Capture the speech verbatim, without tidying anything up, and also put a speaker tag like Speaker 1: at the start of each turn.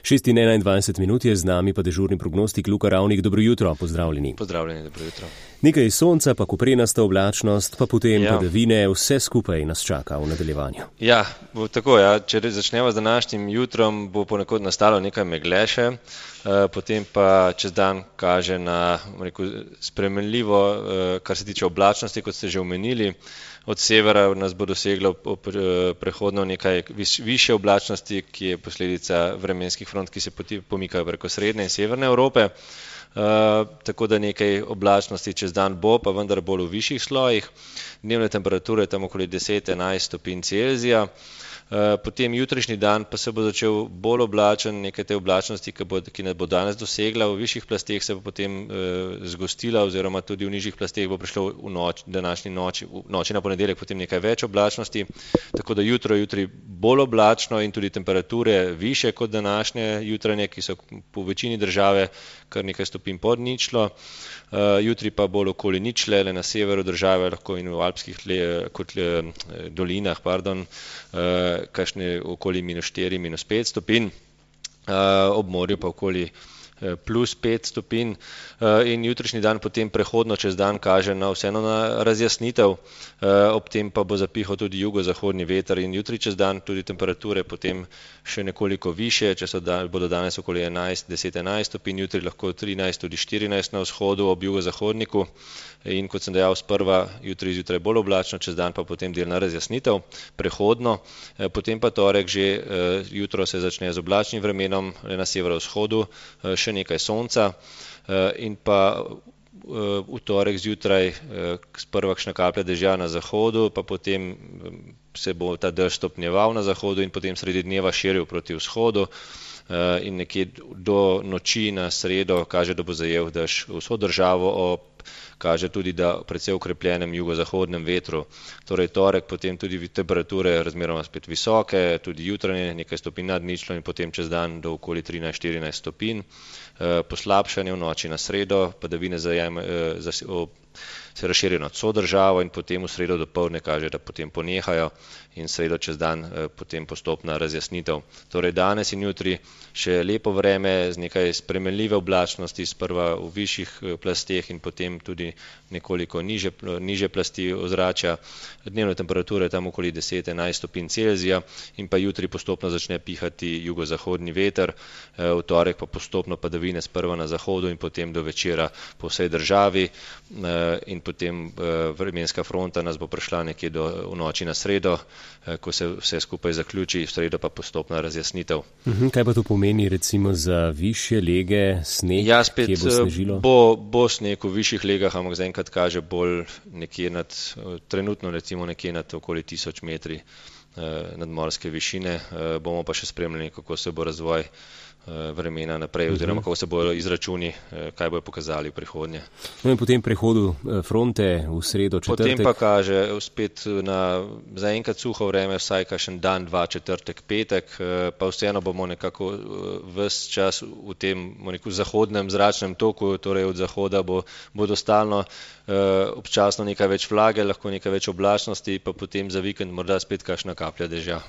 Speaker 1: šest in enaindvajset minut je z nami pa dežurni prognostik Luka Ravnik. Dobro jutro, pozdravljeni.
Speaker 2: Pozdravljeni, dobro jutro.
Speaker 1: Nekaj sonca, pa koprenasta oblačnost, pa potem
Speaker 2: ja.
Speaker 1: padavine, vse skupaj nas čaka v nadaljevanju.
Speaker 2: Ja, bo tako, ja. Če začnemo z današnjim jutrom, bo ponekod nastalo nekaj megleše, potem pa čez dan kaže na rekel, spremenljivo, kar se tiče oblačnosti, kot ste že omenili. Od severa nas bo doseglo prehodno nekaj višje oblačnosti, ki je posledica vremenskih front, ki se pomikajo preko srednje in severne Evrope. Uh, tako da nekaj oblačnosti čez dan bo, pa vendar bolj v višjih slojih. Dnevne temperature tam okoli deset do enajst stopinj Celzija. Uh, potem jutrišnji dan pa se bo začel bolj oblačen, nekaj te oblačnosti, ki, bo, ki nas bo danes dosegla. V višjih plasteh se bo potem uh, zgostila, oziroma tudi v nižjih plasteh bo prišlo v noč, današnji noči, v noči na ponedeljek potem nekaj več oblačnosti. Tako da jutro jutri bolj oblačno in tudi temperature više kot današnje jutranje, ki so po večini države kar nekaj stopinj pod ničlo. Uh, jutri pa bolj okoli ničle, le na severu države, lahko in v alpskih le, kot le, dolinah, pardon, uh, kakšne okoli minus štiri, minus pet stopinj, uh, ob morju pa okoli plus pet stopinj. In jutrišnji dan potem prehodno čez dan kaže na vseeno na razjasnitev, ob tem pa bo zapihal tudi jugozahodni veter in jutri čez dan tudi temperature potem še nekoliko više, če so dan, bodo danes okoli enajst, deset, enajst stopinj, jutri lahko trinajst, tudi štirinajst na vzhodu ob jugozahodniku in kot sem dejal sprva, jutri zjutraj bolj oblačno, čez dan pa potem delna razjasnitev, prehodno, potem pa torek že jutro se začne z oblačnim vremenom, le na severovzhodu še nekaj sonca in pa v torek zjutraj sprva kakšna kaplja dežja na zahodu, pa potem se bo ta dež stopnjeval na zahodu in potem sredi dneva širil proti vzhodu in nekje do noči na sredo kaže, da bo zajel dež vso državo, ob kaže tudi, da precej ukrepljenem jugozahodnem vetru. Torej torek potem tudi temperature razmeroma spet visoke, tudi jutranje nekaj stopinj nad ničlo in potem čez dan do okoli trinajst, štirinajst stopinj. Poslabšanje v noči na sredo, padavine zajame, se razširijo nad vso državo in potem v sredo dopoldne kaže, da potem ponehajo in sredo čez dan potem postopna razjasnitev. Torej danes in jutri še lepo vreme z nekaj spremenljive oblačnosti, sprva v višjih plasteh in potem tudi nekoliko niže, niže plasti ozračja. Dnevne temperature tam okoli deset do enajst stopinj Celzija in pa jutri postopno začne pihati jugozahodni veter, v torek pa postopno padavine sprva na zahodu in potem do večera po vsej državi in potem vremenska fronta nas bo prišla nekje do, v noči na sredo, ko se vse skupaj zaključi, v sredo pa postopna razjasnitev.
Speaker 1: Uhum, kaj pa to pomeni recimo za višje lege, sneg,
Speaker 2: ja, spet,
Speaker 1: kje bo snežilo?
Speaker 2: Bo, bo sneg v višjih legah, ampak zaenkrat kaže bolj nekje nad, trenutno recimo nekje nad okoli tisoč metri nadmorske višine. Bomo pa še spremljali, kako se bo razvoj vremena naprej, oziroma kako se bodo izračuni, kaj bojo pokazali v prihodnje.
Speaker 1: No in potem prehodu fronte v sredo, četrtek.
Speaker 2: Potem pa kaže spet na zaenkrat suho vreme, vsaj kakšen dan, dva, četrtek, petek, pa vseeno bomo nekako ves čas v tem neku zahodnem zračnem toku, torej od zahoda bo, bodo stalno občasno nekaj več vlage, lahko nekaj več oblačnosti, pa potem za vikend morda spet kakšna kaplja dežja.